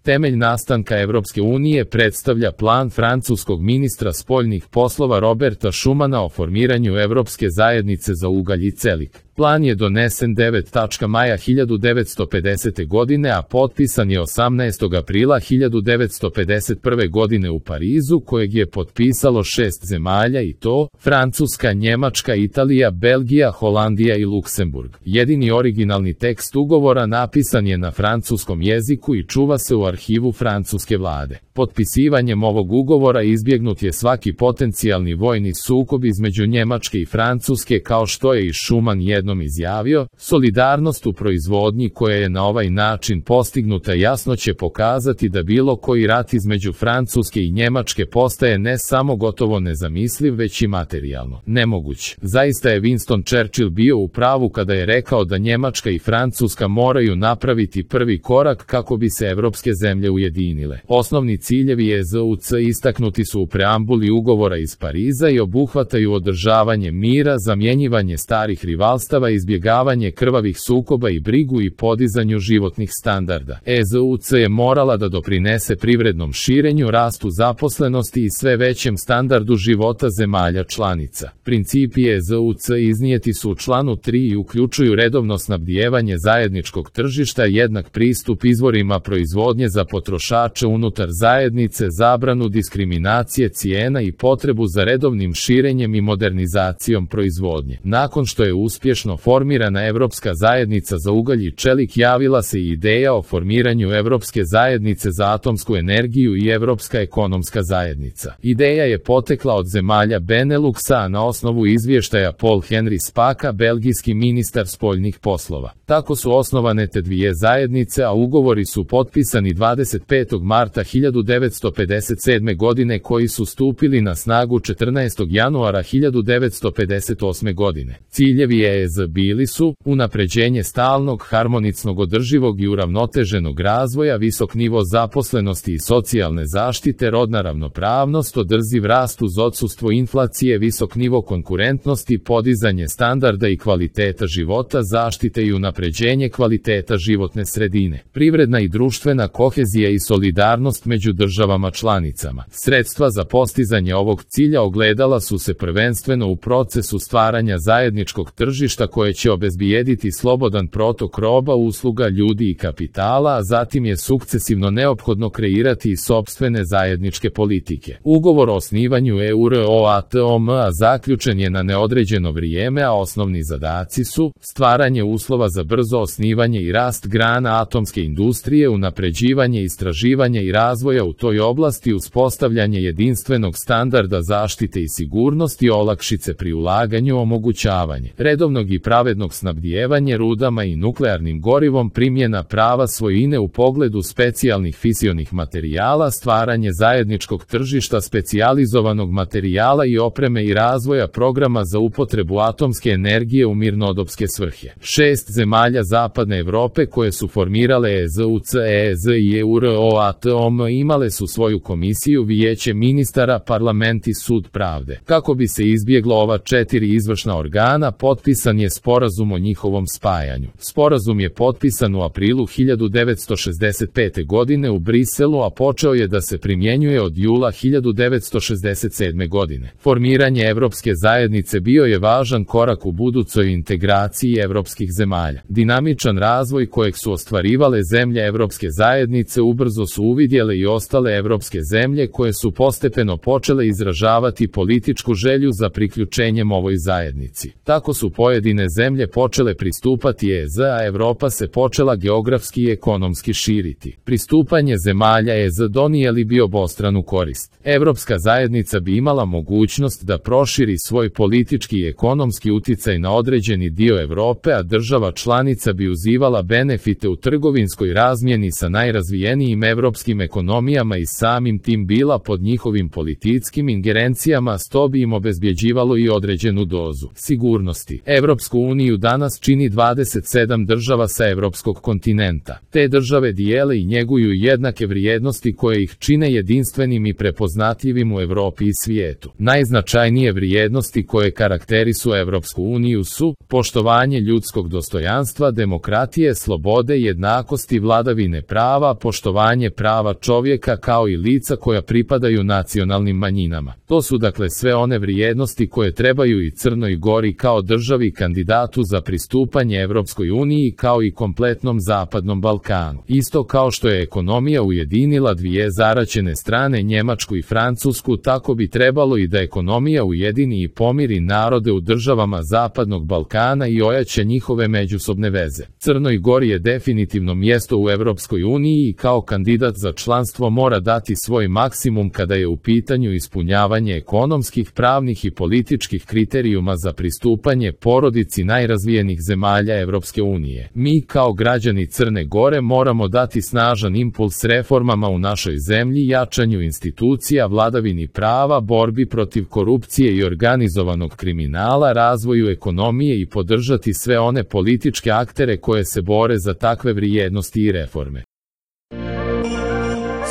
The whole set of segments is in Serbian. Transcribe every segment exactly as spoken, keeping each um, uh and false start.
Temelj nastanka Evropske unije predstavlja plan francuskog ministra spoljnih poslova Roberta Schumana o formiranju Evropske zajednice za ugalj i čelik. Plan je donesen devetog maja hiljadu devetsto pedesete. godine, a potpisan je osamnaestog aprila hiljadu devetsto pedeset prve. godine u Parizu, kojeg je potpisalo šest zemalja i to Francuska, Njemačka, Italija, Belgija, Holandija i Luksemburg. Jedini originalni tekst ugovora napisan je na francuskom jeziku i čuva se u arhivu francuske vlade. Potpisivanjem ovog ugovora izbjegnut je svaki potencijalni vojni sukob između Njemačke i Francuske, kao što je i Schuman jednom izjavio. Solidarnost u proizvodnji koja je na ovaj način postignuta jasno će pokazati da bilo koji rat između Francuske i Njemačke postaje ne samo gotovo nezamisliv, već i materijalno nemoguć. Zaista je Winston Churchill bio u pravu kada je rekao da Njemačka i Francuska moraju napraviti prvi korak kako bi se evropske zemlje ujedinile. Osnovni ciljevi E Z U C istaknuti su u preambuli ugovora iz Pariza i obuhvataju održavanje mira, zamjenjivanje starih rivalstava, izbjegavanje krvavih sukoba i brigu i podizanju životnih standarda. E Z U C je morala da doprinese privrednom širenju, rastu zaposlenosti i sve većem standardu života zemalja članica. Principi E Z U C iznijeti su u članu tri i uključuju redovno snabdijevanje zajedničkog tržišta, jednak pristup izvorima proizvodnje za potrošače unutar zajednice, zabranu diskriminacije cijena i potrebu za redovnim širenjem i modernizacijom proizvodnje. Nakon što je uspješno formirana Evropska zajednica za ugalj i čelik, javila se i ideja o formiranju Evropske zajednice za atomsku energiju i Evropska ekonomska zajednica. Ideja je potekla od zemalja Beneluxa, a na osnovu izvještaja Paul Henry Spaka, belgijski ministar spoljnih poslova. Tako su osnovane te dvije zajednice, a ugovori su potpisani dvadeset petog marta hiljadu devetsto pedeset sedme. godine, koji su stupili na snagu četrnaestog januara hiljadu devetsto pedeset osme. godine. Ciljevi E Z bili su unapređenje stalnog, harmonicnog, održivog i uravnoteženog razvoja, visok nivo zaposlenosti i socijalne zaštite, rodna ravnopravnost, održiv rast uz odsustvo inflacije, visok nivo konkurentnosti, podizanje standarda i kvaliteta života, zaštite i unapređenje kvaliteta životne sredine, privredna i društvena kohezija i solidarnost među državama članicama. Sredstva za postizanje ovog cilja ogledala su se prvenstveno u procesu stvaranja zajedničkog tržišta koje će obezbijediti slobodan protok roba, usluga, ljudi i kapitala, a zatim je sukcesivno neophodno kreirati i sopstvene zajedničke politike. Ugovor o osnivanju Euratom-a zaključen je na neodređeno vrijeme, a osnovni zadaci su stvaranje uslova za brzo osnivanje i rast grana atomske industrije, unapređivanje istraživanja i razvoja u toj oblasti, uspostavljanje jedinstvenog standarda zaštite i sigurnosti, olakšice pri ulaganju, omogućavanje redovnog i pravednog snabdijevanja rudama i nuklearnim gorivom, primjena prava svojine u pogledu specijalnih fisionih materijala, stvaranje zajedničkog tržišta specijalizovanog materijala i opreme i razvoja programa za upotrebu atomske energije u mirnodopske svrhe. Šest zemalja Zapadne Evrope koje su formirale E Z U C, E Z i Euratom imale su svoju komisiju, vijeće ministara, parlament i sud pravde. Kako bi se izbjeglo ova četiri izvršna organa, potpisan je sporazum o njihovom spajanju. Sporazum je potpisan u aprilu hiljadu devetsto šezdeset pete. godine u Briselu, a počeo je da se primjenjuje od jula hiljadu devetsto šezdeset sedme. godine. Formiranje Evropske zajednice bio je važan korak u budućoj integraciji evropskih zemalja. Dinamičan razvoj kojeg su ostvarivale zemlje Evropske zajednice ubrzo su uvidjele i ostale evropske zemlje koje su postepeno počele izražavati političku želju za priključenjem ovoj zajednici. Tako su pojedine zemlje počele pristupati E Z, a Evropa se počela geografski i ekonomski širiti. Pristupanje zemalja E Z donijeli bi obostranu korist. Evropska zajednica bi imala mogućnost da proširi svoj politički i ekonomski uticaj na određeni dio Evrope, a država članica bi uzivala benefite u trgovinskoj razmjeni sa najrazvijenijim evropskim ekonomijama i samim tim bila pod njihovim političkim ingerencijama, što bi im obezbjeđivalo i određenu dozu sigurnosti. Evropska Evropsku uniju danas čini dvadeset sedam država sa evropskog kontinenta. Te države dijele i njeguju jednake vrijednosti koje ih čine jedinstvenim i prepoznatljivim u Evropi i svijetu. Najznačajnije vrijednosti koje karakterisu Evropsku uniju su poštovanje ljudskog dostojanstva, demokratije, slobode, jednakosti, vladavine prava, poštovanje prava čovjeka kao i lica koja pripadaju nacionalnim manjinama. To su dakle sve one vrijednosti koje trebaju i Crnoj Gori kao državi kandidatu za pristupanje Evropskoj uniji kao i kompletnom Zapadnom Balkanu. Isto kao što je ekonomija ujedinila dvije zaraćene strane, Njemačku i Francusku, tako bi trebalo i da ekonomija ujedini i pomiri narode u državama Zapadnog Balkana i ojača njihove međusobne veze. Crnoj Gori je definitivno mjesto u Evropskoj uniji i kao kandidat za članstvo mora dati svoj maksimum kada je u pitanju ispunjavanje ekonomskih, pravnih i političkih kriterijuma za pristupanje porodici najrazvijenijih zemalja Evropske unije. Mi kao građani Crne Gore moramo dati snažan impuls reformama u našoj zemlji, jačanju institucija, vladavini prava, borbi protiv korupcije i organizovanog kriminala, razvoju ekonomije i podržati sve one političke aktere koje se bore za takve vrijednosti i reforme.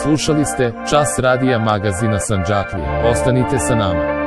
Slušali ste Čas radija magazina Sandžaklija. Ostanite sa nama.